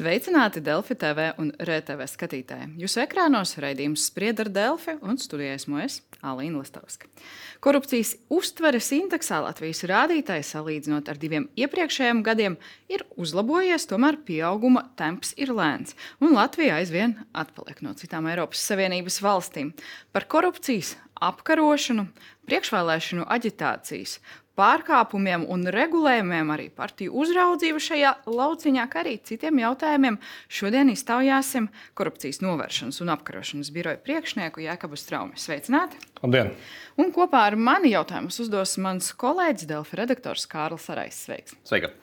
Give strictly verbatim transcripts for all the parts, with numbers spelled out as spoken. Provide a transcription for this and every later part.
Sveicināti Delfi T V un R T V skatītāji. Jūsu ekrānos raidījums Spried ar Delfi un studijā esmu es, Alīna Lastovska. Korupcijas uztveres indeksā Latvijas rādītājs salīdzinot ar diviem iepriekšējiem gadiem ir uzlabojies, tomēr pieauguma temps ir lēns, un Latvija aizvien atpaliek no citām Eiropas Savienības valstīm. Par korupcijas apkarošanu, priekšvēlēšanu aģitācijas pārkāpumiem un regulējumiem, arī partiju uzraudzību šajā lauciņā, kā arī citiem jautājumiem šodien iztaujāsim Korupcijas novēršanas un apkarošanas biroja priekšnieku Jēkabu Straumi. Sveicināti! Labdien! Un kopā ar mani jautājumus uzdos mans kolēģis Delfi redaktors Kārlis Arais. Sveiks! Sveika!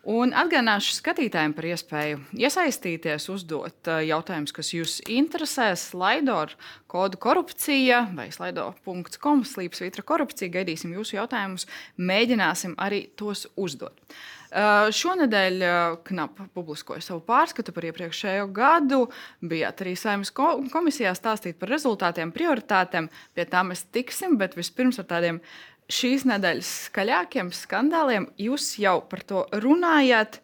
Un atgādināšu skatītājiem par iespēju iesaistīties, uzdot jautājumus, kas jūs interesē. Slido ar kodu korupcija vai slido punkts com slīpsvītra korupcija. Gaidīsim jūsu jautājumus, mēģināsim arī tos uzdot. Šonedēļ Knap publiskoja savu pārskatu par iepriekšējo gadu. Bijāt arī Saeimas komisijā stāstīt par rezultātiem, prioritātēm. Pie tā mēs tiksim, bet vispirms ar tādiem šīs nedēļas skaļākiem skandāliem. Jūs jau par to runājāt.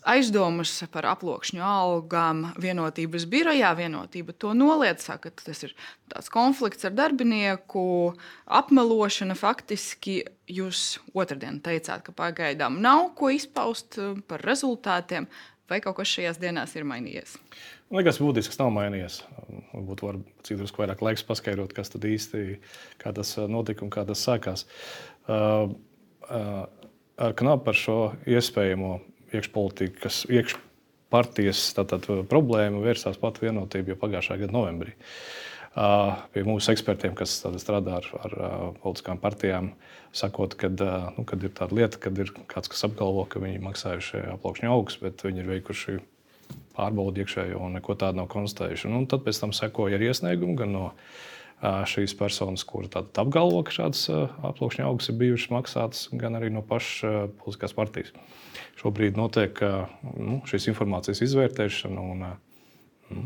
Aizdomas par aploksņu algām Vienotības birojā. Vienotība to noliedz, saka, ka tas ir tāds konflikts ar darbinieku, apmelošana. Faktiski jūs otrdien teicāt, ka pagaidām nav ko izpaust par rezultātiem. Vai kaut kas šajās dienās ir mainījies? Nekas būtisks nav mainījies. Varbūt var cik drusku vairāk laiks paskaidrot, kas tad īsti, kā tas notika un kā tas sākās. Uh, uh, ar Knapu par šo iespējamo iekšpolitikas, iekšpartijas tātad problēmu vērsās pat Vienotība jau pagājušā gada novembrī. Uh, pie mūsu ekspertiem, kas strādā ar, ar uh, politiskām partijām, sakot, kad, uh, nu, kad ir tāda lieta, kad ir kāds, kas apgalvo, ka viņi maksājuši aploksņu algas, bet viņi ir veikuši pārbaudi iekšējo un neko tādu nav konstatējuši. Un tad pēc tam sekoja arī iesniegumi gan no uh, šīs personas, kura tātad apgalvo, ka šādas uh, aploksņu algas ir bijušas maksātas, gan arī no pašas uh, politiskās partijas. Šobrīd notiek uh, nu, šīs informācijas izvērtēšana un uh,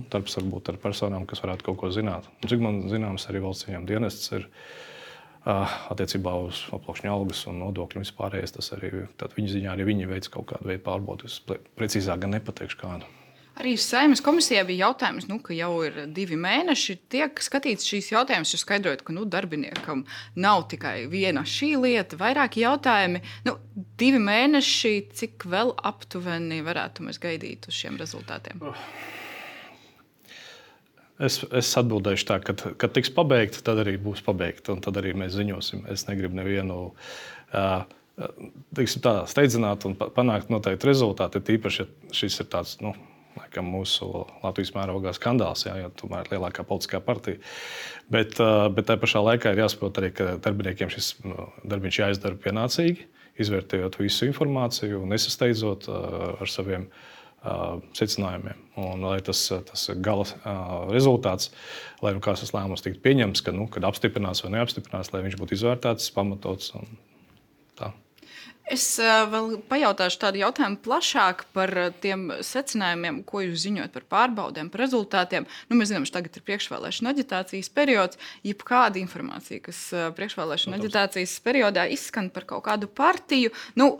darbs varbūt ar personām, kas varētu kaut ko zināt. Un, cik man zināms, arī valsts ieņēmuma dienests ir uh, attiecībā uz aploksņu algas un nodokļu un vispārējais. Tas arī viņa ziņā arī viņi veic kaut kādu veidu pārbaudi. Es precīzāk gan nepateikšu kādu. Arī Saeimas komisijā bija jautājums, nu, ka jau ir divi mēneši. Tiek skatīts šīs jautājumus, jūs skaidrojat, ka nu, darbiniekam nav tikai viena šī lieta, vairāki jautājumi. Nu, divi mēneši, cik vēl aptuveni varētu mēs gaidīt uz šiem rezultātiem? Es, es atbildēšu tā, ka, kad tiks pabeigta, tad arī būs pabeigta, un tad arī mēs ziņosim. Es negribu nevienu uh, tiksim tā, steidzināt un panākt noteikti rezultāti, tīpaši, ja šis ir tāds, nu, laikam mūsu Latvijas mērogā skandāls, jā, jo tomēr ir lielākā politiskā partija. Bet, uh, bet tā pašā laikā ir jāsaprot arī, ka darbiniekiem šis darbiņš jāizdara pienācīgi, izvērtējot visu informāciju un nesasteidzot uh, ar saviem Uh, secinājumiem. Un, lai tas, tas gala uh, rezultāts, lai nu kāds tas lēmums tiktu pieņemts, ka, nu, kad apstiprinās vai neapstiprinās, lai viņš būtu izvērtēts, pamatots un tā. Es uh, vēl pajautāšu tādu jautājumu plašāk par tiem secinājumiem, ko jūs ziņojat par pārbaudēm, par rezultātiem. Nu, mēs zinām, ka tagad ir priekšvēlēšana aģitācijas periods. Jebkāda informācija, kas uh, priekšvēlēšana aģitācijas periodā izskan par kaut kādu partiju, nu,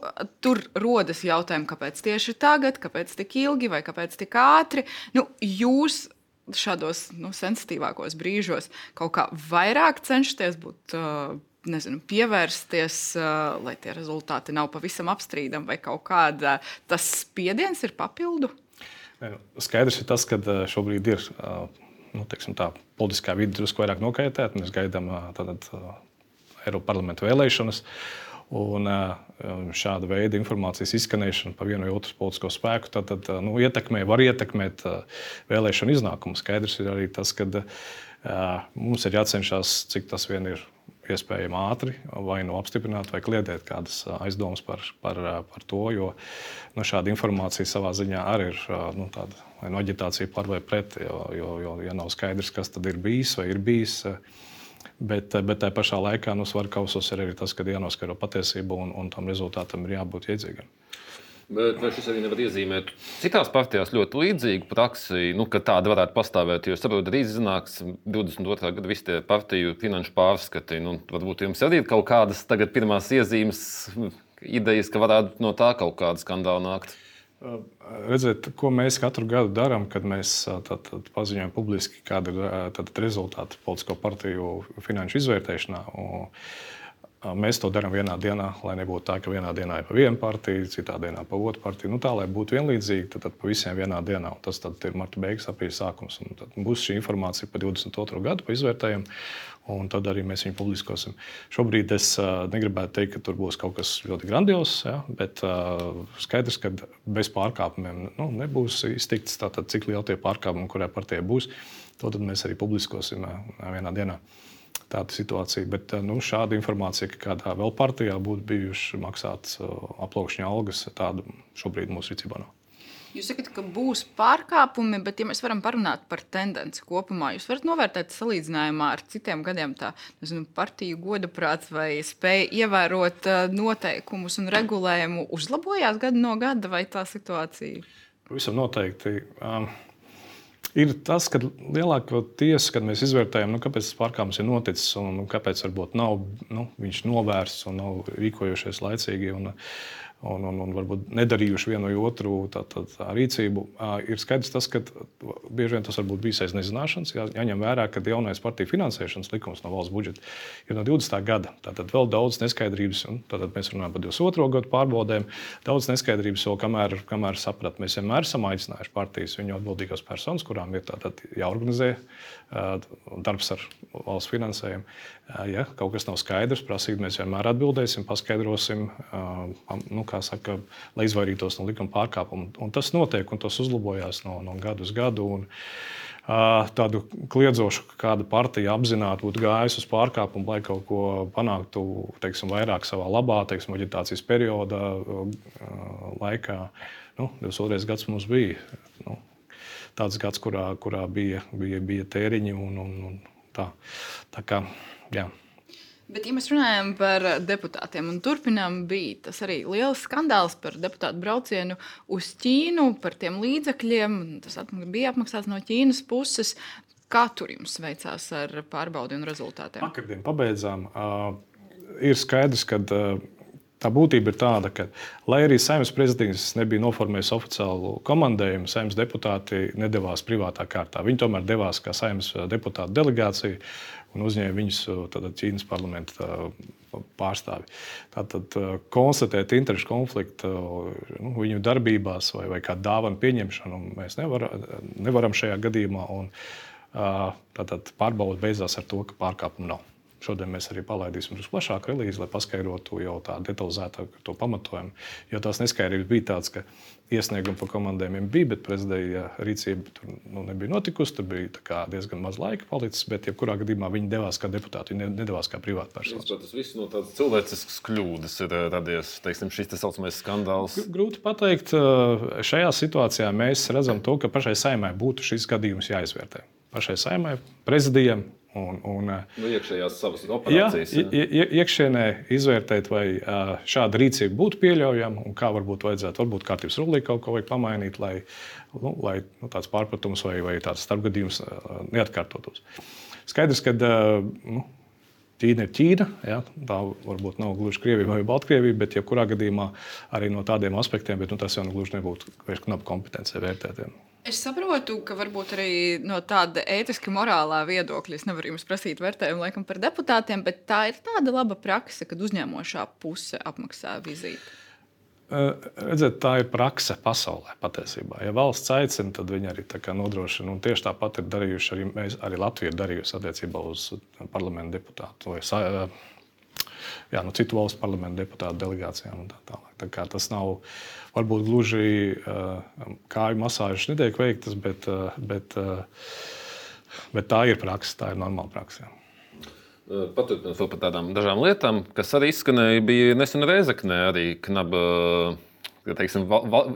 tur rodas jautājumi, kāpēc tieši tagad, kāpēc tik ilgi vai kāpēc tik ātri. Nu, jūs šādos nu, sensitīvākos brīžos kaut kā vairāk cenšaties būt uh, nezinu, pievērsties, uh, lai tie rezultāti nav pavisam apstrīdami vai kaut kāda tas spiediens ir papildu? Skaidrs ir tas, ka šobrīd ir uh, nu, teiksim tā, politiskā vide drusku vairāk nokaitēta. Mēs gaidām uh, tātad, uh, Eiropas parlamenta vēlēšanas. Un uh, šāda veida informācijas izskanēšana par vienu vai otru politisko spēku tad, tad, nu, ietekmē, var ietekmēt uh, vēlēšanu iznākumu. Skaidrs ir arī tas, ka uh, mums ir jācenšas, cik tas vien ir iespējami ātri vai nu apstiprināt vai kliedēt kādas aizdomas par, par, par to, jo nu, šāda informācija savā ziņā arī ir nu, tāda vai nu aģitācija par vai pret, jo, jo, jo ja nav skaidrs, kas tad ir bijis vai ir bijis. Bet, bet tā pašā laikā nu, svaru kausos ir arī tas, ka jānoskaidro patiesību un, un tam rezultātam ir jābūt iedzīgam. Bet vai šis arī nevar iezīmēt citās partijās ļoti līdzīgu praksi, nu, ka tāda varētu pastāvēt, jo saprotu, drīz iznāks divdesmit otrā gada visi tie partiju finanšu pārskati, nu, varbūt jums arī ir kaut kādas tagad pirmās iezīmes, idejas, ka varētu no tā kaut kāda skandāla nākt? Redziet, ko mēs katru gadu darām, kad mēs tad, tad paziņojam publiski, kāda ir tad, rezultāti politisko partiju finanšu izvērtēšanā. Un, mēs to darām vienā dienā, lai nebūtu tā, ka vienā dienā ir pa vienu partiju, citā dienā pa otru partiju. Nu, tā, lai būtu vienlīdzīgi, tad, tad pa visiem vienā dienā. Un tas tad ir marta beigas, aprīļa sākums. Un tad būs šī informācija par divdesmit otro gadu, pa izvērtējumu, un tad arī mēs viņu publiskosim. Šobrīd es uh, negribētu teikt, ka tur būs kaut kas ļoti grandios, ja, bet uh, skaidrs, ka bez pārkāpumiem nu, nebūs iztikts tātad, cik liela tie pārkāpumi, kurā partijā būs. To tad mēs arī publiskosim uh, vienā dienā. Tāda situācija, bet nu, šāda informācija, ka kādā vēl partijā būtu bijuši maksātas aplaukšņa algas, tāda šobrīd mūsu rīcībā nav. Jūs sakat, ka būs pārkāpumi, bet ja mēs varam parunāt par tendenci kopumā, jūs varat novērtēt salīdzinājumā ar citiem gadiem tā, nezinu, partiju godaprāts vai spēja ievērot noteikumus un regulējumu uzlabojās gadu no gada vai tā situācija? Pavisam noteikti. Um, Ir tas, ka lielākoties, kad mēs izvērtējam, nu, kāpēc tas pārkāpums ir noticis un kāpēc varbūt nav nu, viņš novērsts un nav rīkojušies laicīgi un, un, un, un varbūt nedarījuši vienu vai otru tā, tā, tā rīcību, ir skaidrs tas, ka bieži vien tas varbūt bijis aiz nezināšanas. Jā, jāņem vērā, ka jaunais partiju finansēšanas likums no valsts budžeta ir no divdesmitā gada. Tātad vēl daudz neskaidrības, un tātad mēs runājam par divdesmit otro gadu pārbaudēm, daudz neskaidrības vēl, kamēr, kamēr saprat. Mēs vienmēr esam aicinājuši partijas viņu atbildīgās personas, kurām ir tātad jāorganizē darbs ar valsts finansējumu. Ja kaut kas nav skaidrs, prasīt, mēs vienmēr atbildēsim, paskaidrosim, nu, kā saka, lai izvairītos no likuma pārkāpuma. Un tas notiek, un tas uzlabojās no, no gadu uz gadu. Un, tādu kliedzošu, ka kāda partija apzināti būtu gājusi uz pārkāpumu, lai kaut ko panāktu, teiksim, vairāk savā labā, teiksim, aģitācijas perioda laikā. Nu, divdesmit otrais gads mums bija nu, tāds gads, kurā, kurā bija, bija, bija tēriņi un, un, un tā. Tā kā, jā. Bet, ja mēs runājam par deputātiem un turpinām, bija tas arī liels skandāls par deputātu braucienu uz Ķīnu, par tiem līdzekļiem. Tas bija apmaksāts no Ķīnas puses. Kā tur jums veicās ar pārbaudi un rezultātiem? Vakardien pabeidzām. Uh, ir skaidrs, ka uh, tā būtība ir tāda, ka, lai arī Saeimas prezidents nebija noformējis oficiālu komandējumu, Saeimas deputāti nedavās privātā kārtā. Viņi tomēr devās kā Saeimas deputātu delegācija un uzņēma viņus tātad, Ķīnas parlamenta pārstāvi. Tātad konstatēt interešu konfliktu nu, viņu darbībās vai, vai kā dāvanu pieņemšanu mēs nevar, nevaram šajā gadījumā. Un, tātad pārbauda beidzās ar to, ka pārkāpumu nav. Šodien mēs arī palaidīsim uz plašāku relīzi, lai paskaidrotu jau tā detalizētāk to pamatojumu. Jo tās neskaidrības bija tāds, ka iesniegumi par komandējumiem bija, bet prezidija rīcība tur nu, nebija notikusi. Tur bija diezgan maz laika palicis, bet jebkurā gadījumā viņi devās kā deputāti, viņi nedavās kā privātpersonas. Tas viss no tādas cilvēciskas kļūdas ir radies, teiksim, šis tā saucamais skandāls. Grūti pateikt. Šajā situācijā mēs redzam to, ka pašai Saeimai būtu šis gadījums jāizvērtē. Pašai Saeimai, prezidijam. Un, un, nu, iekšējās savas operācijas. Jā, jā. Iekšienē izvērtēt, vai šāda rīcība būtu pieļaujama un kā varbūt vajadzētu, varbūt kārtības rullī kaut ko vajag pamainīt, lai, nu, lai nu, tāds pārpratums vai, vai tāds starpgadījums neatkārtotos. Skaidrs, ka nu, Ķīna ir Ķīna, jā, tā varbūt nav gluži Krievija vai Baltkrievija, bet jebkurā gadījumā arī no tādiem aspektiem, bet nu, tas jau nu, gluži nebūtu vairs knapu kompetencija vērtēt. Jā. Es saprotu, ka varbūt arī no tāda ētiski morālā viedokļa es nevaru jums prasīt vērtējumu laikam par deputātiem, bet tā ir tāda laba prakse, kad uzņēmošā puse apmaksā vizīti. Redziet, tā ir prakse pasaulē patiesībā. Ja valsts aicina, tad viņi arī tā kā nodrošina. Un tieši tāpat ir darījuši arī, mēs, arī Latvija ir darījusi attiecībā uz parlamentu deputātu vai jā, no citu valstu parlamentu deputātu delegācijām un tā tālāk. Tā kā tas nav varbūt gluži uh, kāju masāžas netiek veiktas, bet, uh, bet, uh, bet tā ir praksa, tā ir normāla praksa. Paturpinot par tādām dažām lietām, kas arī izskanēja, bija nesen Rēzeknē arī knaba, teiksim,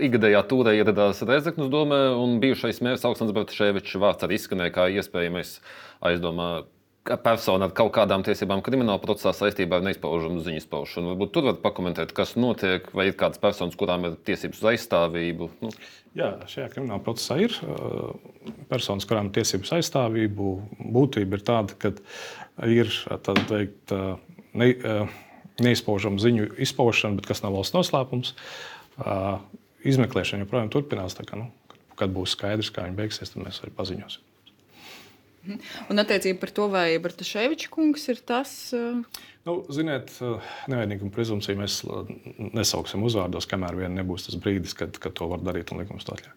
ikgadējā tūrē ieradās Rēzeknes domē, un bijušais mērs Aleksandrs Bartaševičs vārds arī izskanēja kā iespējamais aizdomā persona ar kaut kādām tiesībām krimināla procesā saistībā ar neizpaužamu ziņu izpaušanu. Varbūt tur var pakomentēt, kas notiek, vai ir kādas personas, kurām ir tiesības uz aizstāvību? Nu. Jā, šajā krimināla procesā ir personas, kurām ir tiesības aizstāvību. Būtība ir tāda, ka ir tāda teikt, ne, neizpaužama ziņu izpaušana, bet kas nav valsts noslēpums. izmeklēšana joprojām turpinās. Tā kā, nu, kad būs skaidrs, kā viņi beigsies, tad mēs arī paziņosim. Un attiecībā par to, vai Bartaševiča kungs ir tas? Nu, ziniet, nevainīguma prezumpciju mēs nesauksim uzvārdos, kamēr vien nebūs tas brīdis, kad, kad to var darīt un likums to atļauj.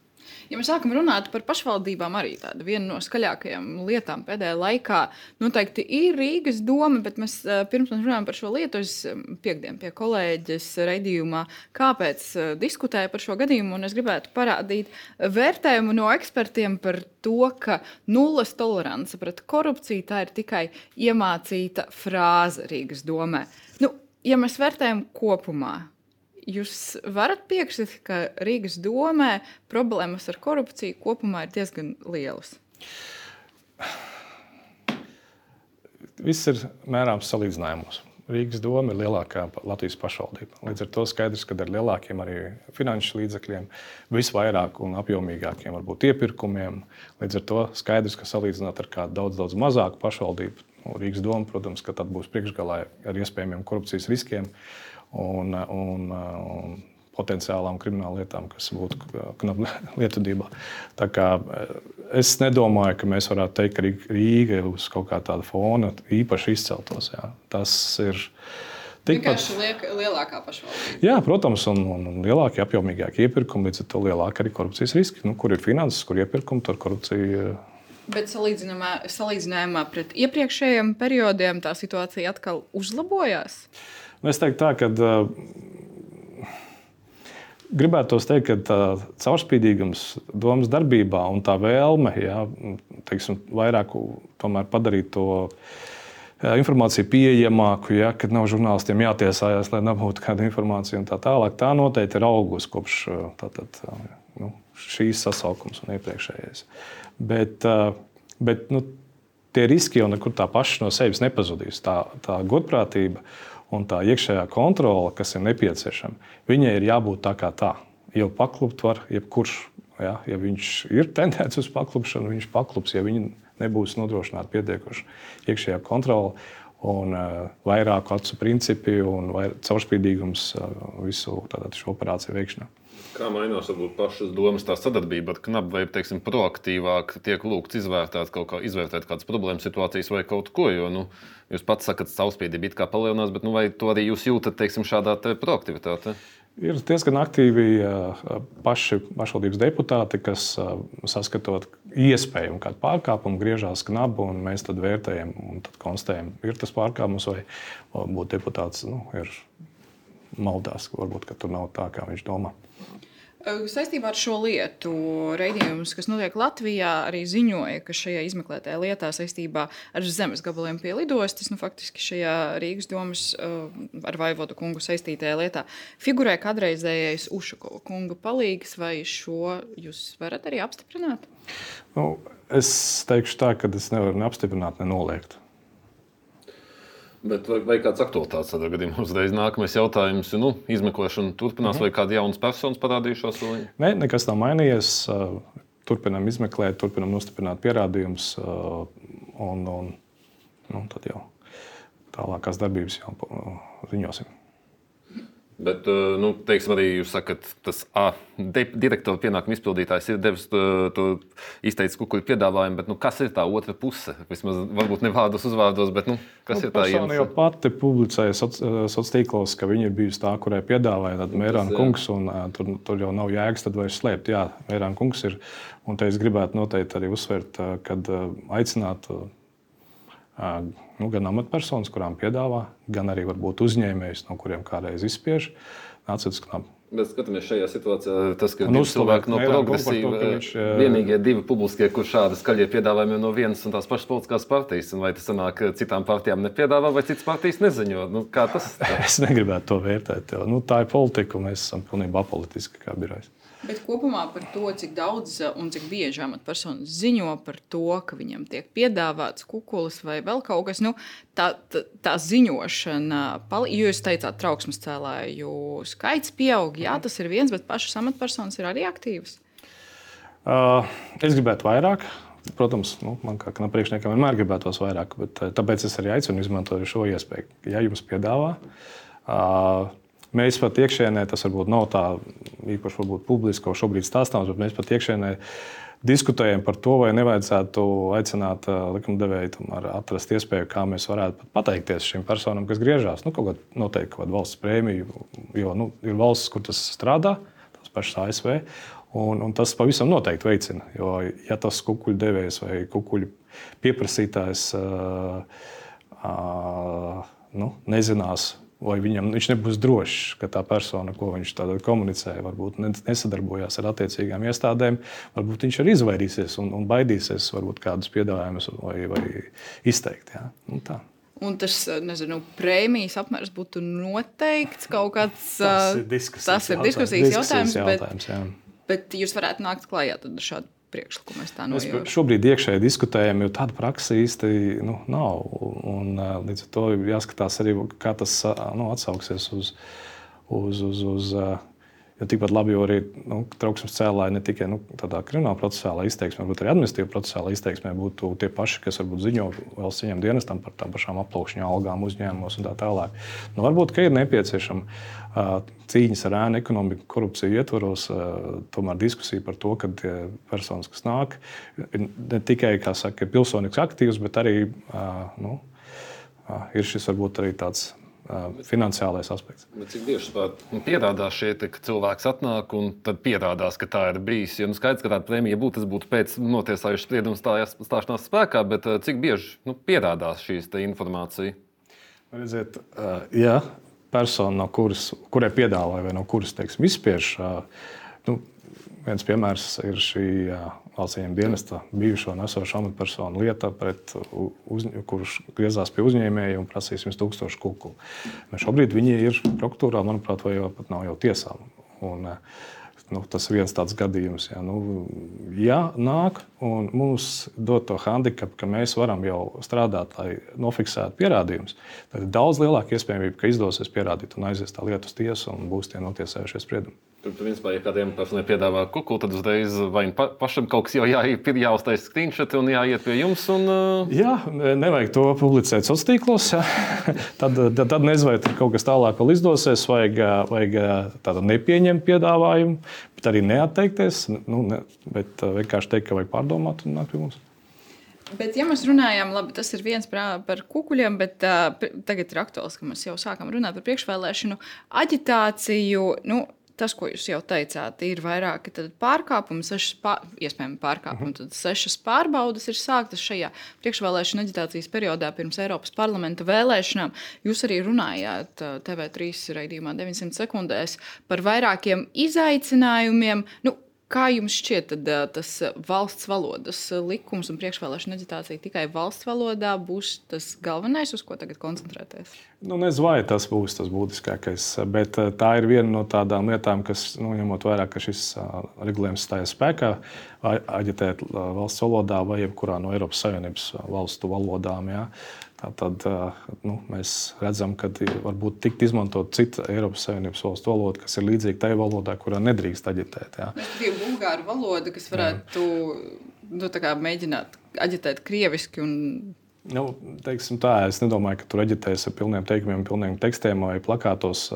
Ja mēs sākam runāt par pašvaldībām, arī tāda viena no skaļākajām lietām pēdējā laikā noteikti ir Rīgas doma, bet mēs pirms mēs runājam par šo lietu, es piekdien pie kolēģes raidījumā, kāpēc diskutēju par šo gadījumu, un es gribētu parādīt vērtējumu no ekspertiem par to, ka nulles tolerance pret korupciju tā ir tikai iemācīta frāze Rīgas domē. Nu, ja mēs vērtējam kopumā, jūs varat piekrist, ka Rīgas domē problēmas ar korupciju kopumā ir diezgan lielas? Viss ir mērāms salīdzinājumos. Rīgas doma ir lielākā Latvijas pašvaldība. Līdz ar to skaidrs, ka ar lielākiem arī finanšu līdzekļiem, visvairāk un apjomīgākiem varbūt iepirkumiem. Līdz ar to skaidrs, ka salīdzināt ar kādu daudz, daudz mazāku pašvaldību, Rīgas doma, protams, ka tad būs priekšgalā ar iespējamiem korupcijas riskiem. Un, un, un potenciālām krimināla lietām, kas būtu knapa lietvedībā. Tā kā es nedomāju, ka mēs varētu teikt, ka Rīga uz kaut kā tāda fona īpaši izceltos. Jā. Tas ir tikpat... Vienkārši liek, lielākā pašvaldība. Jā, protams, un, un, un lielākie, apjomīgākie iepirkumi, līdz ar to lielāka arī korupcijas riski. Nu, kur ir finanses, kur iepirkumi, tur korupcija... Bet salīdzinājumā, salīdzinājumā pret iepriekšējiem periodiem tā situācija atkal uzlabojās? Es teiktu tā, ka uh, gribētos teikt, ka tā caurspīdīgums domas darbībā un tā vēlme, jā, teiksim, vairāk tomēr padarīt to jā, informāciju pieejamāku, jā, kad nav žurnālistiem jātiesājās, lai nebūtu kāda informācija un tā tālāk. Tā noteikti ir augusi kopš tātad, nu, šīs sasaukums un iepriekšējais. Bet, uh, bet nu, tie riski jau nekur tā paši no sevis nepazudīs. Tā, tā godprātība un tā iekšējā kontrole, kas ir nepieciešama, viņai ir jābūt tā kā tā. Jau paklupt var jebkurš. Ja, ja viņš ir tendēts uz paklupšanu, viņš paklups, ja viņi nebūs nodrošināti pietiekoši iekšējā kontrole un uh, vairāku acu principi un vair, caurspīdīgums uh, visu tātad, šo operāciju veikšanā. Kā mainās varbūt pašas domas tā sadarbība ar knapu, vai, teiksim, proaktīvāk tiek lūgts izvērtēt kaut kā, izvērtēt kādas problēmas situācijas vai kaut ko, jo, nu, jūs pats sakat, caurspīdība it kā palielinās, bet, nu, vai to arī jūs jūtat, teiksim, šādā te proaktivitāte? Ir diezgan aktīvi paši pašvaldības deputāti, kas saskatot iespēju un kādu pārkāpumu griežās knapu, un mēs tad vērtējam un tad konstatējam, ir tas pārkāpums vai būt deputāts, nu, ir maldās, varbūt, ka tur nav tā, kā viņš domā. Saistībā ar šo lietu raidījums, kas notiek Latvijā, arī ziņoja, ka šajā izmeklētajā lietā saistībā ar zemes gabaliem pie lidostas, nu, faktiski šajā Rīgas domas ar Vaivodu kungu saistītajā lietā figurē kādreizējais Ušakova kunga palīgs, vai šo jūs varat arī apstiprināt? Nu, es teikšu tā, ka es nevaru ne apstiprināt, ne noliegt. Bet vai, vai kāds aktualitātes tādā gadījumā uzreiz nākamais jautājums, nu, izmeklēšana turpinās, mm-hmm. vai kāda jaunas personas parādījušās? Vai? Nē, nekas nav mainījies. Turpinām izmeklēt, turpinām nostiprināt pierādījumus un, un nu, tad jau tālākās darbības jau ziņosim. Bet, nu, teiksim, arī jūs sakat, tas A, direktora pienākuma izpildītājs ir devis to, to izteicis kukuļu piedāvājumu, bet, nu, kas ir tā otra puse? Vismaz, varbūt ne vārdos uzvārdos, bet, nu, kas nu, ir tā iemesla? Persona jau pati publicēja sociālos tīklos, ka viņa ir bijusi tā, kurai piedāvāja tad Mērāna kungs, un uh, tur, tur jau nav jēgas tad vairs slēpt. Jā, Mērāna kungs ir, un te es gribētu noteikti arī uzsvērt, uh, kad uh, aicināt uh, nu, gan amatpersonas, kurām piedāvā, gan arī varbūt uzņēmējus, no kuriem kādreiz izspiež, nāciet uz knapu. Bet skatāmies šajā situācijā, tas, ka divi cilvēki no progresīva, viņš, vienīgie divi publiskie, kur šādi skaļie piedāvājumi no vienas un tās pašas politiskās partijas, un vai tas sanāk, citām partijām nepiedāvā, vai citas partijas neziņo? Nu, kā tas? Es negribētu to vērtēt. Nu, tā ir politika, un mēs esam pilnībā apolitiski kā birojs. Bet kopumā par to, cik daudz un cik bieži amatpersonas ziņo par to, ka viņam tiek piedāvāts kukulis vai vēl kaut kas, nu, tā, tā, tā ziņošana, jo jūs teicāt, trauksmes cēlāju skaits pieaug, jā, tas ir viens, bet pašas amatpersonas ir arī aktīvas? Uh, es gribētu vairāk. Protams, nu, man kā priekšniekam vienmēr gribētos vairāk, bet tāpēc es arī aicinu izmantot šo iespēju. Ja jums piedāvā, uh, mēs pat iekšēnē, tas varbūt nav tā īpaši varbūt publiski, ko šobrīd stāstāms, bet mēs pat iekšēnē diskutējam par to, vai nevajadzētu aicināt likumdevēju tomēr atrast iespēju, kā mēs varētu pateikties šīm personām, kas griežās. Nu, kaut kāda noteikti kaut kāda valsts prēmiju, jo nu, ir valsts, kur tas strādā, tās pašas A S V, un, un tas pavisam noteikti veicina. Jo, ja tas kukuļu devējs vai kukuļu pieprasītājs uh, uh, nu, nezinās, vai viņam, viņš nebūs drošs, ka tā persona, ko viņš komunicē, varbūt nesadarbojās ar attiecīgām iestādēm, varbūt viņš arī izvairīsies un, un baidīsies varbūt kādus piedāvājumus vai, vai izteikt. Jā. Un tā. Un tas, nezinu, prēmijas apmērs būtu noteikts kaut kāds... Tas ir diskusijas, tas ir diskusijas jautājums, jautājums, bet, bet jūs varētu nākt klājā tad ar šādu priekšlikumu. Es tā nojaušu. Mēs šobrīd iekšēji diskutējam, jo tāda praksa īsti nu, nav. Un, līdz ar to jāskatās arī, kā tas nu, atsauksies uz, uz, uz, uz jo tikpat labi, jo arī nu, trauksmes cēlāji ne tikai nu, tādā krimināla procesālā izteiksmē, bet arī administratīvā procesālā izteiksmē būtu tie paši, kas varbūt ziņo valsts ieņem dienestam par tām pašām aplaukšņu algām uzņēmumos un tā tālāk. Nu, varbūt, ka ir nepieciešama uh, cīņas ar ēnu ekonomiku, korupciju ietvaros, uh, tomēr diskusija par to, ka personas, kas nāk, ne tikai, kā saka, ir pilsonīgs aktīvs, bet arī uh, nu, uh, ir šis varbūt arī tāds finansiālais aspekts. Bet cik bieži pierādās šie, ka cilvēks atnāk un tad pierādās, ka tā ir bijis? Ja nu skaidrs, ka tāda prēmija būtu, tas būtu pēc notiesājušas sprieduma stāšanās spēkā, bet cik bieži nu, pierādās šīs informācija? Redziet, ja persona, no kuras, kurai piedāvāja vai no kuras, teiksim, izspiež, nu, viens piemērs ir šī valsts ieņem dienesta bijušo un esošo amatpersonu lieta, pret uz, kurš griezās pie uzņēmēja un prasīja simts tūkstošu kukulu. Šobrīd viņi ir prokuratūrā, manuprāt, vai jau pat nav jau tiesām. Un, nu, tas ir viens tāds gadījums. Ja, nu, ja nāk un mums dod to handikapu, ka mēs varam jau strādāt, lai nofiksētu pierādījumus, tad ir daudz lielāka iespējamība, ka izdosies pierādīt un aizies tā lieta uz tiesu un būs tie notiesējušie spriedumi. Tur, principā, ja kādiem personai piedāvā kukulu, tad uzreiz vai pa, pašam kaut kas jau jāuztais screenshot un jāiet pie jums. Un, uh... Jā, nevajag to publicēt sociālos tīklos. tad, tad, tad nezinu, vai kaut kas tālāk vēl izdosies, vajag, vajag tādu nepieņemt piedāvājumu, bet arī neatteikties, nu, ne, bet vienkārši teikt, ka vajag pārdomāt un nākt pie mums. Bet, ja mēs runājam, labi, tas ir viens par kukuļiem, bet uh, tagad ir aktuāls, ka mēs jau sākam runāt par priekšvēlēšanu aģitāciju. Nu, tas, ko jūs jau teicāt, ir vairāki pārkāpumi, sešas pār, iespējami pārkāpumi. Tad sešas pārbaudas ir sāktas šajā priekšvēlēšana aģitācijas periodā pirms Eiropas parlamenta vēlēšanām. Jūs arī runājāt T V trīs raidījumā deviņsimt sekundēs par vairākiem izaicinājumiem. Nu, kā jums šķiet, tad tas valsts valodas likums un priekšvēlēšana aģitācija tikai valsts valodā būs tas galvenais, uz ko tagad koncentrēties? Nu, nezinu, vai tas būs tas būtiskākais, bet tā ir viena no tādām lietām, kas, nu, ņemot vērā, ka šis regulējums stājās spēkā, aģitēt valsts valodā vai jebkurā no Eiropas Savienības valstu valodām. Jā. Tad nu, mēs redzam, ka varbūt tikt izmantot cita Eiropas Savienības valstu valoda, kas ir līdzīga tai valodā, kurā nedrīkst aģitēt. Jā. Ir bulgāru valoda, kas varētu nu, tā kā mēģināt aģitēt krieviski. Un... Nu, teiksim tā, es nedomāju, ka tur aģitēs ar pilniem teikumiem, pilniem tekstiem vai plakātos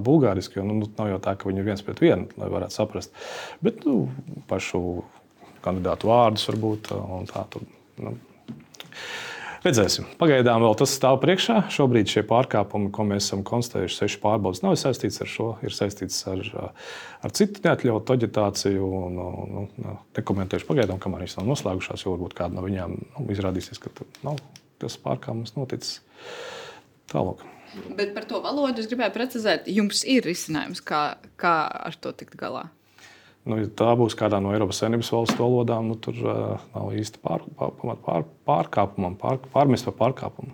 bulgāriski, jo nu, nav jau tā, ka viņi ir viens pret vienu, lai varētu saprast. Bet nu, pašu kandidātu vārdus varbūt un tā tur. Nu. Redzēsim. Pagaidām vēl tas stāv priekšā. Šobrīd šie pārkāpumi, ko mēs esam konstatējuši, seši pārbaudas, nav saistīts ar šo, ir saistīts ar, ar citu neatļautu aģitāciju. Un, nu, nekomentēšu pagaidām, kamēr viņas nav noslēgušās, jo varbūt kāda no viņām nu, izrādīsies, ka nav tas pārkāpums noticis tālāk. Bet par to valodu es gribēju precizēt, jums ir risinājums, kā, kā ar to tikt galā? Nu, ja tā būs kādā no Eiropas Savienības valstu valodām, nu, tur uh, nav īsti pār, pār, pār, pārkāpumam, pār, pārmest par pārkāpumu.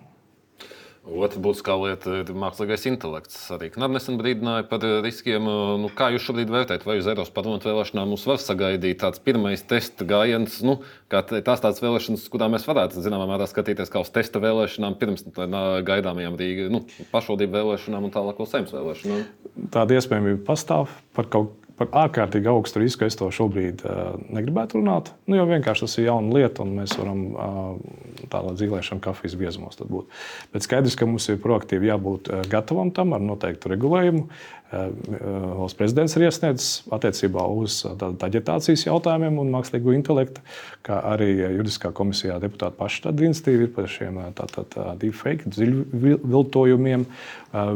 Otra būtiskā lieta ir mākslīgais intelekts. Arī Knab nesen brīdināja par riskiem. Nu, kā jūs šobrīd vērtējat, vai uz Eiropas parlamenta vēlēšanām mums var sagaidīt tāds pirmais testa gājiens, nu, kā tās tādas vēlēšanas, kurā mēs varētu zināmā mērā skatīties kā uz testa vēlēšanām pirms gaidāmajām Rīga, nu, pašvaldību vēlēšanām un tālāk vēl Saeimas vēlēšanām? Tāda iespējamība pastāv par kaut Par ārkārtīgi augstu risku es to šobrīd uh, negribētu runāt. Nu, jo vienkārši tas ir jauna lieta, un mēs varam uh, tādā dzīvēšana kafijas biezumos būt. Bet skaidrs, ka mums ir proaktīvi jābūt uh, gatavam tam ar noteiktu regulējumu. valsts prezidents ir iesniedzis attiecībā uz aģitācijas jautājumiem un mākslīgo intelektu, kā arī juridiskā komisijā deputāti paši tādu iniciatīvu ir par šiem deepfake, dziļviltojumiem,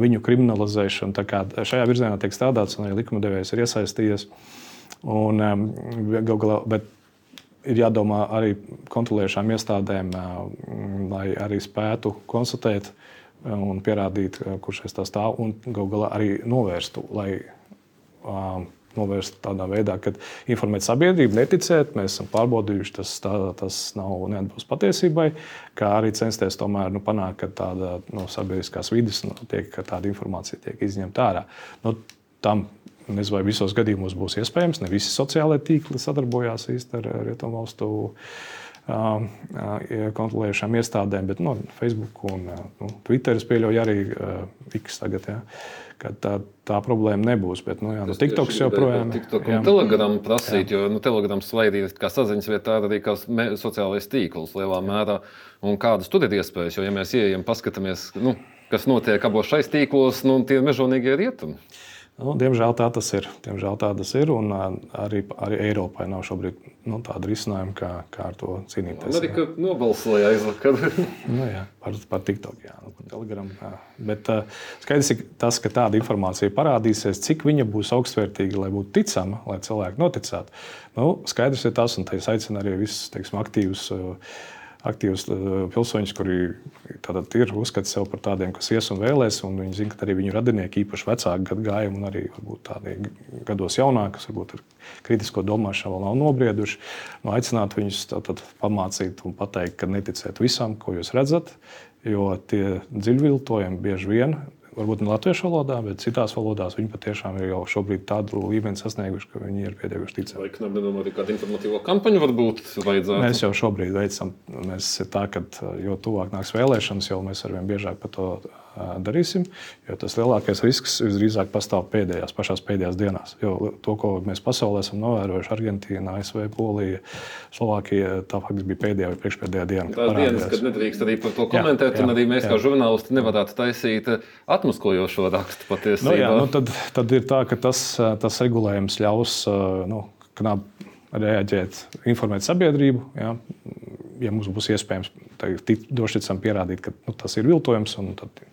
viņu kriminalizēšanu. Tā kā šajā virzienā tiek strādāts un arī likumdevējs ir iesaistījies. Un, galā, bet ir jādomā arī kontrolējušām iestādēm, lai arī spētu konstatēt un pierādīt, kurš aiz tā stāv, un galu galā arī novērstu, lai uh, novērstu tādā veidā, ka informēt sabiedrību, neticēt, mēs esam pārbaudījuši, tas, tā, tas nav neatbilst patiesībai, kā arī censties tomēr nu, panākt, ka tāda no sabiedriskās vides nu, tiek, ka tāda informācija tiek izņemta ārā. Nu, tam, nezinu, vai visos gadījumos būs iespējams, ne visi sociālai tīkli sadarbojās īsti ar Rietumvalstu kontrolējušām iestādēm, bet nu, Facebook un nu, Twitter es pieļauju arī X tagad, ja, ka tā, tā problēma nebūs. Bet, nu, jā, nu, TikToks joprojām. TikTok un Telegram prasīt, jo nu, Telegrams vairīt kā saziņas vietā arī kā sociālais tīkls lielā mērā. Un kādas tur ir iespējas, jo ja mēs ieejam, paskatāmies, nu, kas notiek abos šais tīklos, nu, tie mežonīgie rietumi. Nu, diemžēl tā tas ir. Diemžēl tā tas ir, un arī, arī Eiropai nav šobrīd nu, tāda risinājuma, kā, kā ar to cīnīties. Amerika nobalsoja aizvakar. nu, jā, par, par TikTok, jā, nu, par Telegram. Jā. Bet uh, skaidrs ir tas, ka tāda informācija parādīsies, cik viņa būs augstvērtīga, lai būtu ticama, lai cilvēki noticētu. Nu, skaidrs ir tas, un te es aicinu arī visus, teiksim, aktīvus uh, aktīvus pilsoņus, kuri tātad ir uzskati sev par tādiem, kas ies un vēlēs, un viņi zina, ka arī viņu radinieki, īpaši vecāki gadgājumi un arī varbūt tādi gados jaunāki, kas varbūt ar kritisko domāšanu vēl nav nobrieduši, nu, aicināt viņus tātad pamācīt un pateikt, ka neticiet visam, ko jūs redzat, jo tie dziļviltojumi bieži vien, varbūt ne latviešu valodā, bet citās valodās viņi patiešām ir jau šobrīd tādu līmeni sasnieguši, ka viņi ir pietiekuši ticami. Vai Knab nedomā arī kādu informatīvo kampaņu varbūt vajadzētu? Mēs jau šobrīd veicam. Mēs ir tā, ka jo tuvāk nāks vēlēšanas, jo mēs arvien biežāk par to darīsim, jo tas lielākais risks visdrīzāk pastāv pēdējās, pašās pēdējās dienās. Jo to, ko mēs pasaulē esam novērojuši, Argentīna, A S V, Polija, Slovākija, tā faktiski bija pēdējā vai priekšpēdējā diena. Tās dienas, kad nedrīkst arī par to komentēt, jā, jā, un arī mēs jā. Kā žurnālisti nevarētu taisīt atmaskojošo rakstu patiesībā. Nu, jā, nu, tad, tad ir tā, ka tas, tas regulējums ļaus nu, Knab reaģēt, informēt sabiedrību, jā, ja mums būs iespējams droši ticam pierādīt, ka nu, tas ir viltojums, un tad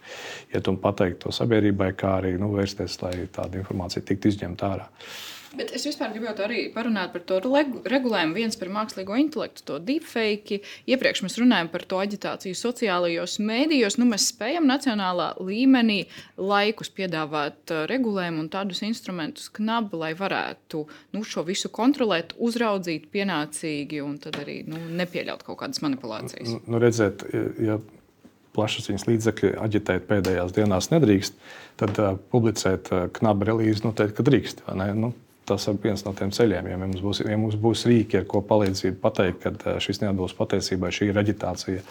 iet un pateikt to sabiedrībai, kā arī nu, vērsties, lai tāda informācija tiktu izņemta ārā. Bet es vispār gribētu arī parunāt par to regulējumu, viens par mākslīgo intelektu, to deepfake. Iepriekš mēs runājam par to aģitāciju sociālajos mēdījos. Nu, mēs spējam nacionālā līmenī laikus piedāvāt regulējumu un tādus instrumentus Knab, lai varētu nu, šo visu kontrolēt, uzraudzīt pienācīgi un tad arī nu, nepieļaut kaut kādas manipulācijas. Nu, nu redziet, ja plašsaziņas līdzekļi aģitēt pēdējās dienās nedrīkst, tad uh, publicēt uh, Knab relīzi noteikti, ka drīkst, vai ne? Nu, tas ir viens no tiem ceļiem. Ja mums būs, ja mums būs rīki, ar ko palīdzību pateikt, ka šis neatbilst patiesībai, šī ir aģitācija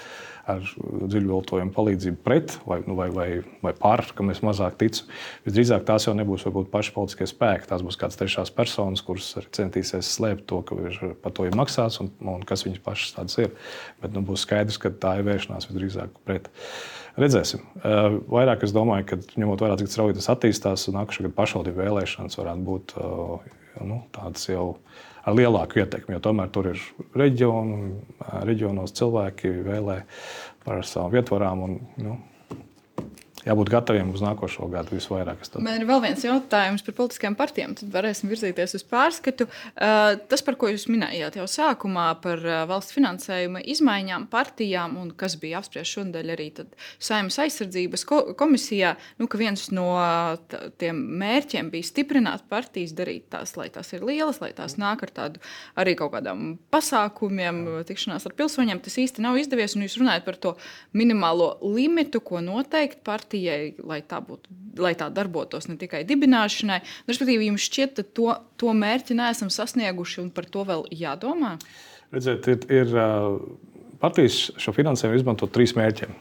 ar dziļviltojumu palīdzību pret vai, nu, vai, vai, vai par, kam es mazāk ticu, visdrīzāk tās jau nebūs varbūt paši politiskie spēki. Tās būs kādas trešās personas, kuras centīsies slēpt to, ka ir, par to ir maksāts un, un kas viņas pašas tādas ir. Bet nu, būs skaidrs, ka tā ir vēršanās visdrīzāk pret. Redzēsim. Vairāk es domāju, ka ņemot vērā, cik strauji tas attīstās, nākušā gada pašvaldību vēlēšanas varētu būt nu, tādas jau ar lielāku ietekmi, jo tomēr tur ir reģionu, reģionos cilvēki vēlē par savām vietvarām un nu, jābūt gataviem uz nākošo gadu visvairāk. Man ir vēl viens jautājums par politiskajām partijām, tad varēsim virzīties uz pārskatu. Uh, tas, par ko jūs minējāt jau sākumā, par uh, valsts finansējuma izmaiņām partijām un kas bija apspriests šodien arī Saeimas aizsardzības ko komisijā, nu, ka viens no tiem mērķiem bija stiprināt partijas, darīt tās, lai tās ir lielas, lai tās nāk ar tādu arī kaut kādām pasākumiem, tikšanās ar pilsoņiem. Tas īsti nav izdevies, un jūs runājat par to minimālo limitu, ko noteikt partija, lai tā, būtu, lai tā darbotos ne tikai dibināšanai. Respektīvi, jums šķiet, ka to, to mērķi neesam sasnieguši un par to vēl jādomā? Redziet, ir, ir partijas šo finansējumu izmantot trīs mērķiem.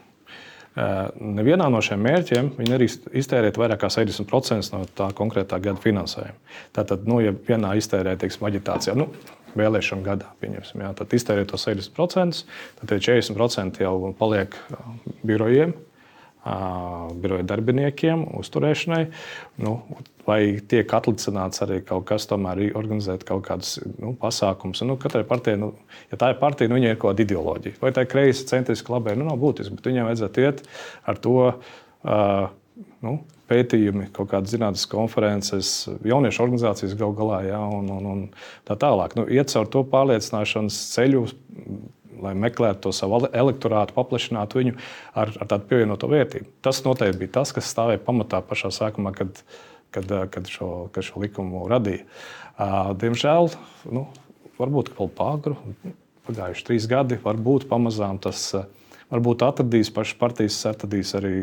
Nevienā no šiem mērķiem viņi arī iztērēt vairāk kā sešdesmit procenti no tā konkrētā gada finansējuma. Tātad, nu, ja vienā iztērē, teiksim, aģitācijā, nu, vēlēšanu gadā, pieņemsim, jā, tad iztērē to sešdesmit procenti, tad četrdesmit procenti jau paliek birojiem, biroja darbiniekiem uzturēšanai. Nu, vai tiek atlicināts arī kaut kas, tomēr organizēt kaut kādus nu, pasākumus. Nu, katrai partijai, nu, ja tā ir partija, nu, viņai ir kaut kāda ideoloģija. Vai tā ir kreisa, centriska, labēja, nu, nav būtiski, bet viņai vajadzētu iet ar to uh, nu, pētījumi, kaut kādas zinātniskas konferences, jauniešu organizācijas gal galā, ja, un, un, un tā tālāk. Nu, iet caur to pārliecināšanas ceļu, lai meklētu to savu elektorātu, paplašinātu viņu ar, ar tādu pievienoto vērtību. Tas noteikti bija tas, kas stāvēja pamatā pašā sākumā, kad, kad, kad, šo, kad šo likumu radīja. Diemžēl, nu, varbūt vēl pāgru, pagājuši trīs gadi, varbūt pamazām tas varbūt atradīs, pašas partijas atradīs arī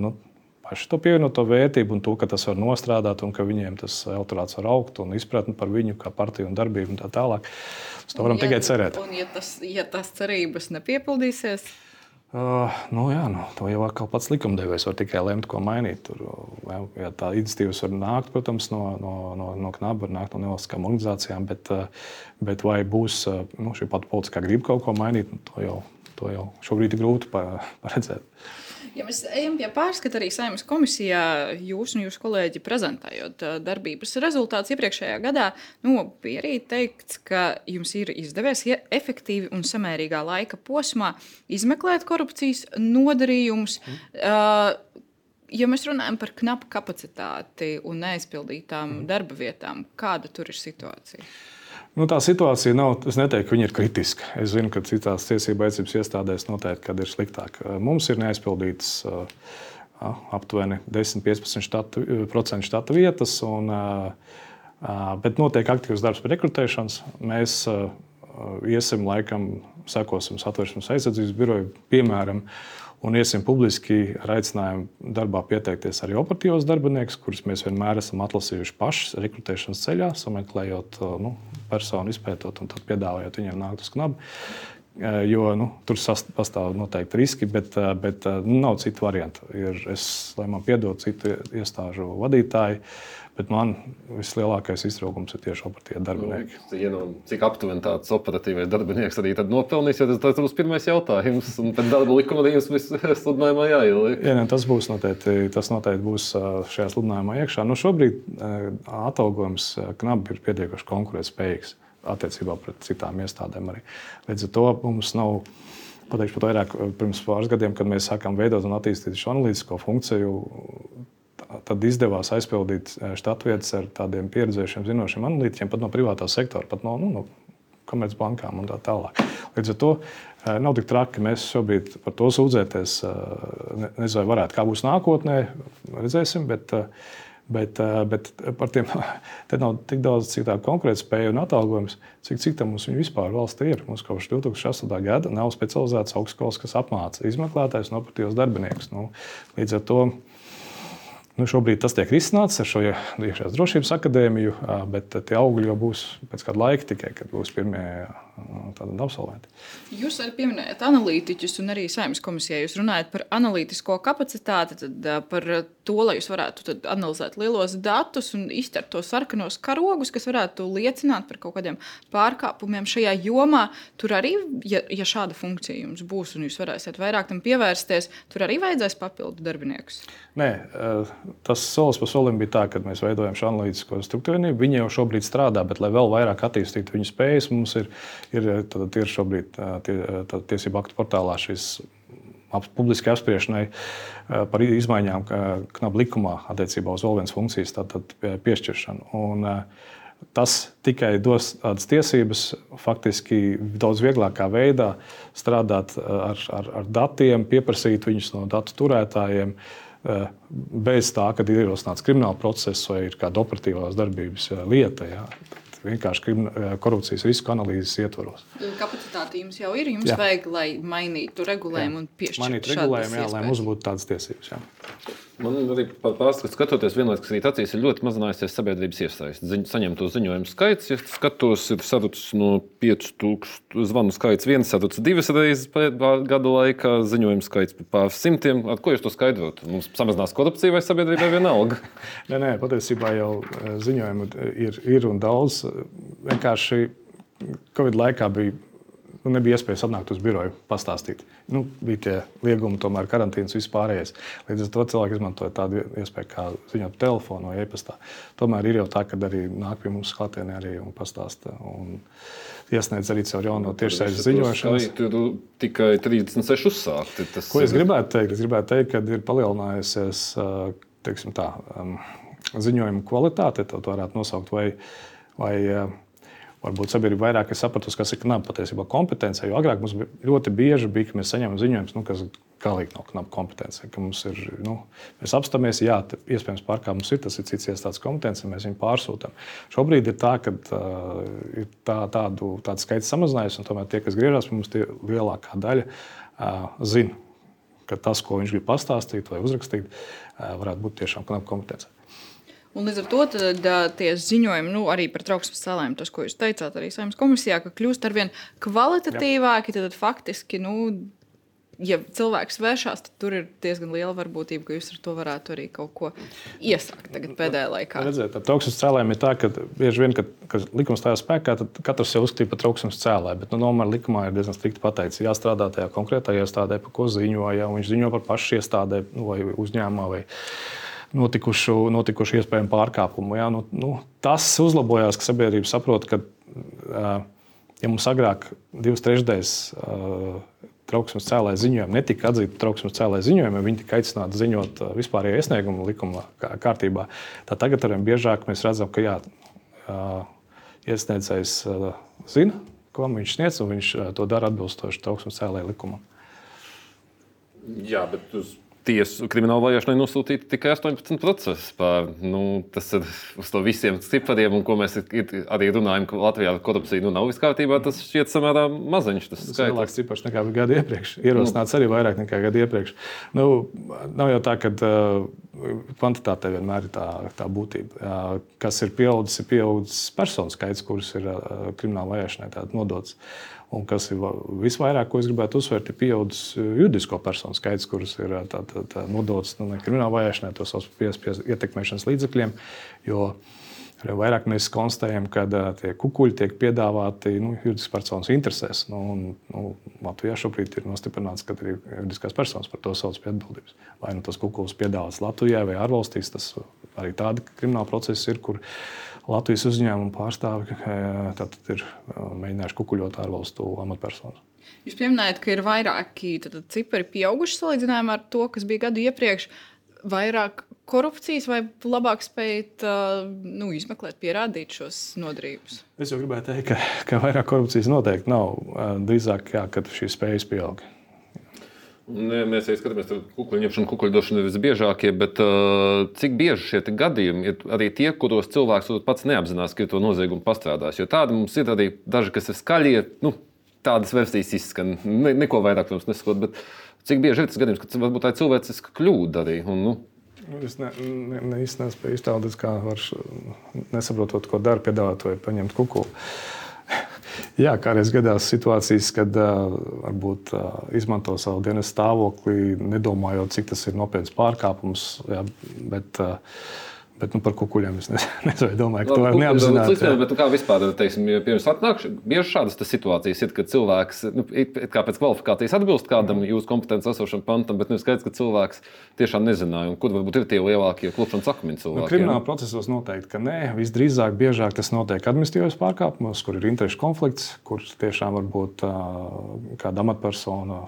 nu, paši to pievienoto vērtību un to, ka tas var nostrādāt un ka viņiem tas elektorāts var augt un izpratni par viņu kā partiju un darbību un tā tālāk. Uz to varam ja, tikai cerēt. Un ja tas, ja tas cerības nepiepildīsies? Uh, nu jā, nu, to jau atkal pats likumdevējs var tikai lemt, ko mainīt. Tur, ja tā iniciatīvas var nākt, protams, no, no, no, no knaba, var nākt no nevalstiskām organizācijām, bet, bet vai būs nu, šī pati politiskā griba kaut ko mainīt, nu, to, jau, to jau šobrīd ir grūti paredzēt. Ja mēs ejam pie pārskata arī Saeimas komisijā, jūs un jūsu kolēģi prezentējot darbības rezultātus iepriekšējā gadā, nu, bija arī teikts, ka jums ir izdevies ja efektīvi un samērīgā laika posmā izmeklēt korupcijas nodarījumus. Mm. Ja mēs runājam par knapu kapacitāti un neaizpildītām mm. darba vietām, kāda tur ir situācija? Nu, tā situācija nav, es neteiktu, ka viņa ir kritiska. Es zinu, ka citās tiesību aizsardzības iestādēs noteikti, kad ir sliktāk. Mums ir neaizpildītas uh, aptuveni desmit līdz piecpadsmit procenti štata vietas, un, uh, bet notiek aktīvs darbs pie rekrutēšanas. Mēs uh, iesim laikam, sekosim Satversmes aizsardzības biroju, piemēram, un iesim publiski ar aicinājumu darbā pieteikties arī operatīvos darbiniekus, kurus mēs vienmēr esam atlasījuši paši rekrutēšanas ceļā, sameklējot nu, personu, izpētot un tad piedāvājot viņiem nākt uz knabu. Jo nu, tur pastāv noteikti riski, bet, bet nu, nav citu variantu. Ir, es, lai man piedod citu iestāžu vadītāji, bet man vislielākais iztraukums ir tieši operatīvie darbinieki. Nu, ja nu, cik aptuveni tāds operatīvais darbinieks arī tad nopelnīs, jo tas, tas būs pirmais jautājums. Un pēc darba likuma arī jums viss sludinājumā jāieliek. Jā, ne, tas būs noteikti, tas noteikti būs šajā sludinājumā iekšā. Nu, šobrīd atalgojums knabi ir pietiekoši konkurētspējīgs attiecībā pret citām iestādēm arī. Līdz ar to mums nav, pateikšu pat vairāk, pirms pāris gadiem, kad mēs sākām veidot un attīstīt šo analītisko funkciju, tad izdevās aizpildīt štatvietas ar tādiem pieredzējušiem, zinošiem analītiķiem, pat no privātā sektora, pat no, nu, no komercbankām un tā tālāk. Līdz ar to nav tik traki, ka mēs šobrīd par to sūdzēties, nezinu, vai varētu, kā būs nākotnē, redzēsim, bet Bet, bet par tiem te nav tik daudz, cik tā konkurētspēja un atalgojums, cik, cik tam mums vispār valstī ir. Mums kopš divi tūkstoši astoņā gada nav specializētas augstskolas, kas apmāca izmeklētājus un operatīvos darbiniekus. Nu, līdz ar to nu, šobrīd tas tiek risināts ar šo iekšējās drošības akadēmiju, bet tie augļi jau būs pēc kāda laika tikai, kad būs pirmie tādi absolventi. Jūs arī pieminējat analītiķus un arī Saeimas komisijā. Jūs runājat par analītisko kapacitāti, tad par to, lai jūs varētu tad analizēt lielos datus un izķert tos sarkanos karogus, kas varētu liecināt par kaut kādiem pārkāpumiem šajā jomā. Tur arī, ja, ja šāda funkcija jums būs un jūs varēsiet vairāk tam pievērsties, tur arī vajadzēs papildu darbiniekus? Nē, tas solis pa solim bija tā, kad mēs veidojam šo analītisko struktūrvienību. Viņi jau šobrīd strādā, bet lai vēl vairāk attīstītu viņu spējas, mums ir, ir, tad, ir šobrīd tie, tiesību aktu portālā šīs publiski apspriešanai par izmaiņām knabu likumā attiecībā uz vēl vienas funkcijas tātad piešķiršanu. Un tas tikai dos tādas tiesības faktiski daudz vieglākā veidā strādāt ar, ar, ar datiem, pieprasīt viņus no datu turētājiem, bez tā, kad ir ierosināts krimināla process vai ir kāda operatīvās darbības lieta. Jā. Vienkārši korupcijas risku analīzes ietvaros. Kapacitāte jums jau ir, jums jā. Vajag, lai mainītu regulējumu un piešķirtu mainīt regulējumu, jā, lai mums būtu tādas tiesības. Jā. Man arī par pārskatu skatoties, vienlaikus arī acīs ir ļoti mazinājusies sabiedrības iesaiste. Ziņ, saņemto ziņojumu skaits, ja skatos, ir sarucis no pieci tūkstoši zvanu skaits viens, sarucis divas reizes gada laikā, ziņojumu skaits pāris simtiem. Ar ko jūs to skaidrot? Mums samazinās korupcija vai sabiedrībai vienalga? nē, nē, patiesībā jau ziņojumu ir, ir un daudz. Vienkārši Covid laikā bija nu, nebija iespējas atnākt uz biroju, pastāstīt. Nu, bija tie liegumi, tomēr karantīnas viss pārējais. Līdz ar to cilvēki izmantoja tādu iespēju, kā ziņot pa telefonu vai e-pastā. Tomēr ir jau tā, ka arī nāk pie mums klātienē arī un pastāsta. Un iesniedz arī caur jauno tiešsaistes ziņošanas. Tur tikai trīsdesmit seši uzsākti. Tas Ko es gribētu teikt? Es gribētu teikt, ka ir palielinājusies, teiksim tā, ziņojuma kvalitāte, to varētu nosaukt, vai, vai varbūt sabiedrība vairāk ir sapratusi, kas ir knaba patiesībā kompetence, jo agrāk mums ļoti bieži bija, ka mēs saņemam ziņojumus, nu, kas galīgi nav knaba kompetence, ka mums ir, nu, mēs apstāmies, jā, iespējams pārkāpums ir, tas ir cits iestādes kompetence, mēs viņu pārsūtam. Šobrīd ir tā, ka uh, ir tā, tādu, tādu skaitu samazinājies, un tomēr tie, kas griežas pie mums, tie lielākā daļa uh, zina, ka tas, ko viņš grib pastāstīt vai uzrakstīt, uh, varētu būt tiešām knaba kompetence. Un līdz ar to tad, tie ziņojumi nu, arī par trauksmes cēlājiem, tas, ko jūs teicāt arī Saeimas komisijā, ka kļūst arvien kvalitatīvāki, tad faktiski, nu, ja cilvēks vēršās, tad tur ir diezgan liela varbūtība, ka jūs ar to varētu arī kaut ko iesākt tagad pēdējā laikā. Redzēt, ar trauksmes cēlājiem ir tā, ka bieži vien, kad, kad likums stājās spēkā, tad katrs jau uzskatīja par trauksmes cēlāju, bet nu, nomēr likumā ir diezgan strikti pateikts, jāstrādā tajā konkrētajā iestādē, par ko ziņo, ja viņš ziņo par pašu iestādē nu, vai uzņēmumā vai notikušu, notikušu iespējamu pārkāpumu. Jā, nu, nu, tas uzlabojās, ka sabiedrība saprot, ka, ja mums agrāk divas trešdaļas trauksmes cēlāja ziņojumi netika atzīti par trauksmes cēlāja ziņojumiem, viņi tika aicināti ziņot vispārējo iesniegumu likuma kārtībā, tad tagad arvien biežāk mēs redzam, ka jā, iesniedzējs zina, ko viņš sniedz, un viņš to dara atbilstoši trauksmes cēlāja likumam. Jā, bet uz tiesu kriminālu vajāšanai nosūtīti tikai astoņpadsmit procesi pār. Nu, tas ir uz to visiem cipariem, un ko mēs arī runājam, ka Latvijā korupcija nu, nav viss kārtībā, tas šķiet samērā maziņš. Tas ir lielāks cipars nekā bija gadu iepriekš. Ierosināts nu. Arī vairāk nekā gadu iepriekš. Nu, nav jau tā, ka uh, kvantitāte vienmēr ir tā, tā būtība. Uh, kas ir pieaudzis, ir pieaudzis personu skaits, kuras ir uh, kriminālu vajāšanai tātad nodots. Un kas ir visvairāk, ko es gribētu uzsvērt, ir pieaudzis juridisko personu skaits, kuras ir tā, tā, tā nodots nu, krimināla vajāšanai, to sauc par piespiedu ietekmēšanas līdzekļiem. Jo vairāk mēs konstatējam, ka tie kukuļi tiek piedāvāti nu, juridiskas personas interesēs. Nu, un, nu, Latvijā šobrīd ir nostiprināts, ka arī juridiskās personas par to sauc pie atbildības. Vai nu tas kukulis piedāvāts Latvijā vai ārvalstīs, tas arī tādi krimināli procesi ir, kur Latvijas uzņēmumu pārstāvi tātad ir mēģinājuši kukuļot ārvalstu amatpersonas. Jūs pieminējat, ka ir vairāki tātad, cipari pieauguši salīdzinājumā ar to, kas bija gadu iepriekš. Vairāk korupcijas vai labāk spējat nu, izmeklēt, pierādīt šos nodarījumus? Es jau gribēju teikt, ka, ka vairāk korupcijas noteikti nav. Drīzāk, jā, kad šīs spējas pieaug. Ne, mēs arī skatāmies, ka kukuļu ņemšana, kukuļu došana ir visbiežākie, bet uh, cik bieži šie gadījumi ir arī tie, kuros cilvēks pats neapzinās, ka ir to noziegumu pastrādājis. Jo tādi mums ir arī daži, kas ir skaļie, nu, tādas versijas izskan, ne, neko vairāk, protams, nesakot, bet cik bieži ir tas gadījums, ka varbūt tā ir cilvēciska kļūda arī. Un, nu. Es ne, ne, ne īsti nespēju iztēloties, kā var nesaprotot, ko dara, piedāvāt vai paņemt kukulu. Jā, kādreiz gadās situācijas, kad uh, varbūt uh, izmanto savu dienas stāvokli, nedomājot, cik tas ir nopietns pārkāpums, jā, bet, uh, bet nu, par kukuļiem es nezinu, domāju, ka to var neapzināt. Līdz, bet kā vispār, teiksim, pirms atnāk, bieži šādas situācijas ir, kad cilvēks, nu, kā pēc kvalifikācijas atbilst kādam jūsu kompetences esošam pantam, bet nevis skaidrs, ka cilvēks tiešām nezināja, un kur varbūt ir tie lielākie klupšanas akmeņi cilvēki. Nu, krimināla procesos noteikti, ka nē, visdrīzāk biežāk tas notiek administratīvos pārkāpumos, kur ir interešu konflikts, kur tiešām varbūt kāda amatpersona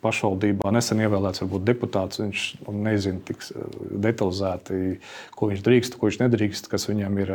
pašvaldībā nesen ievēlēts varbūt deputāts, viņš nezina tik detalizēti, ko viņš drīkst, ko viņš nedrīkst, kas viņam ir,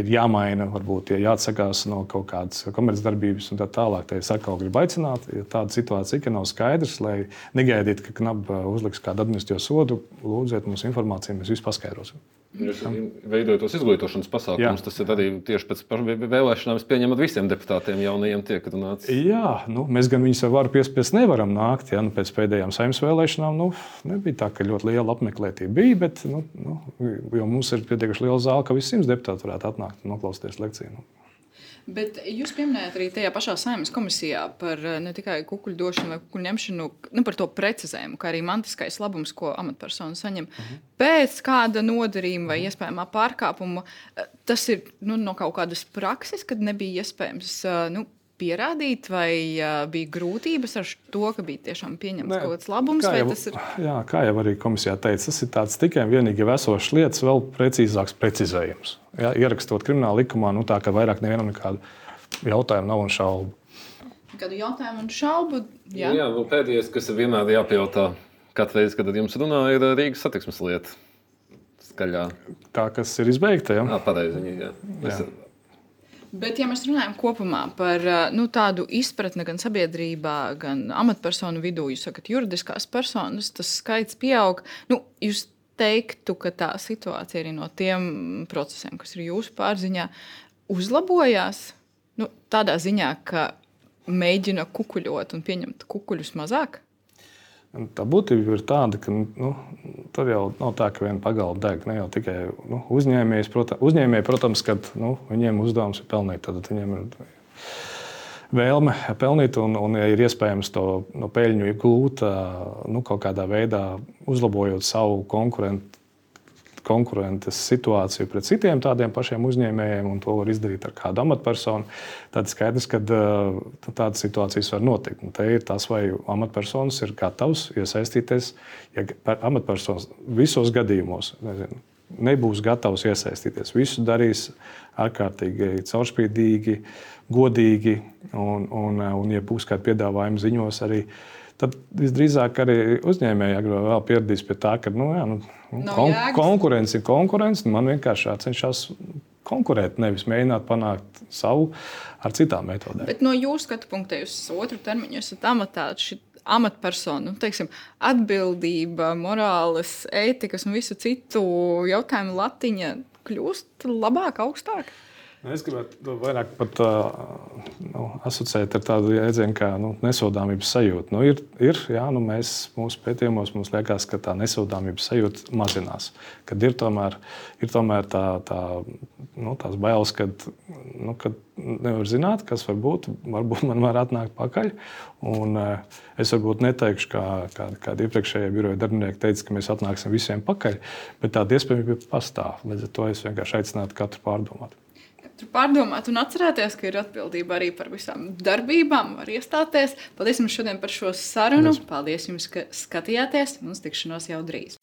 ir jāmaina, varbūt jāatsakās no kaut kādas komercdarbības un tā tālāk. Te es atkal gribu aicināt, ja tāda situācija, ka nav skaidrs, lai negaidīt, ka knaba uzliks kādu administratīvo sodu, lūdziet mums informāciju, mēs visu paskaidrosim. Jūs veidojat tos izglītošanas pasākumus, tas ir arī tieši pēc vēlēšanām, es pieņemu, ar visiem deputātiem jaunajiem tiek runāts. Jā, nu, mēs gan viņus ar varu piespiest nevaram nākt, ja, nu, pēc pēdējām Saeimas vēlēšanām, nu, nebija tā, ka ļoti liela apmeklētība bija, bet, nu, nu, jo mums ir pietiekuši liela zāle, ka visi simts deputāti varētu atnākt un noklausīties lekciju. Nu. Bet jūs pieminējat arī tajā pašā Saeimas komisijā par ne tikai kukuļu došanu vai kukuļu ņemšanu, nu, par to precizējumu, kā arī mantiskais labums, ko amatpersona saņem uh-huh. pēc kāda nodarījuma vai iespējamā pārkāpuma. Tas ir nu, no kaut kādas prakses, kad nebija iespējams nu, pierādīt, vai uh, bija grūtības ar to, ka bija tiešām pieņemts Nē, kaut kāds labums? kā Vai jau, tas ir jā, kā jau arī komisijā teica, tas ir tāds tikai un vienīgi jau esošs lietas, vēl precīzāks precizējums. Ja, ierakstot krimināla likumā, nu tā, ka vairāk nevienam nekādu jautājumu nav un šaubu. kādu jautājumu un šaubu? Jā, Jā, nu, pēdējais, kas ir vienmēr jāpajautā, katru reizi, kad ar jums runā, ir Rīgas satiksmes lieta. Skaļā. Tā, kas ir izbeigta, ja? Jā, pareizi. Jā. Es, bet, ja mēs runājam kopumā par uh, nu, tādu izpratni gan sabiedrībā, gan amatpersonu vidū, jūs sakat, juridiskās personas, tas skaits pieaug. Nu, jūs teiktu, ka tā situācija arī no tiem procesiem, kas ir jūsu pārziņā, uzlabojās nu, tādā ziņā, ka mēģina kukuļot un pieņemt kukuļus mazāk? Tā būtība ir tāda, ka nu, tur jau nav tā, ka viena pagalba deg. Ne jau tikai nu, uzņēmējs, protams, uzņēmēji, protams, kad nu, viņiem uzdevums ir pelnīt, tad viņiem ir vēlme pelnīt, un, un ja ir iespējams to no peļņu iegūt, nu, kaut kādā veidā uzlabojot savu konkurentu. konkurences situāciju pret citiem tādiem pašiem uzņēmējiem, un to var izdarīt ar kādu amatpersonu, tad skaidrs, ka uh, tādas situācijas var notikt. Un te ir tas, vai amatpersonas ir gatavs iesaistīties, ja amatpersonas visos gadījumos nezinu, nebūs gatavs iesaistīties. Visu darīs ārkārtīgi caurspīdīgi, godīgi, un, un, un ja būs kādi piedāvājumi ziņos arī, tad visdrīzāk arī uzņēmēji agrāk vēl pieradīs pie tā, ka nu, jā, nu, kon konkurence ir konkurence. Man vienkārši jācenšas konkurēt, nevis mēģināt panākt savu ar citām metodēm. Bet no jūsu skatu punkta, jūs otru termiņu esat amatā, šī amatpersonu, teiksim, atbildība, morāles, ētikas un visu citu jautājumu latiņa kļūst labāk, augstāk? Es gribētu vairāk pat nu, asociēt ar tādu jēdzienu kā nu, nesodāmības sajūta. Nu, ir, ir, jā, nu, mēs, mūsu pētījumos mums liekas, ka tā nesodāmības sajūta mazinās. Kad ir tomēr, ir tomēr tā, tā, nu, tās bailes, kad, nu, kad nevar zināt, kas var būt. Varbūt man var atnākt pakaļ. Un, es varbūt neteikšu, kā, kā, kādi iepriekšējie biroja darbinieki teica, ka mēs atnāksim visiem pakaļ, bet tāda iespējamība pastāv. Līdz ar to es vienkārši aicinātu katru pārdomāt. Pārdomāt un atcerēties, ka ir atbildība arī par visām darbībām, var iestāties. Paldies jums šodien par šo sarunu. Paldies jums, ka skatījāties. Mums tikšanos jau drīz.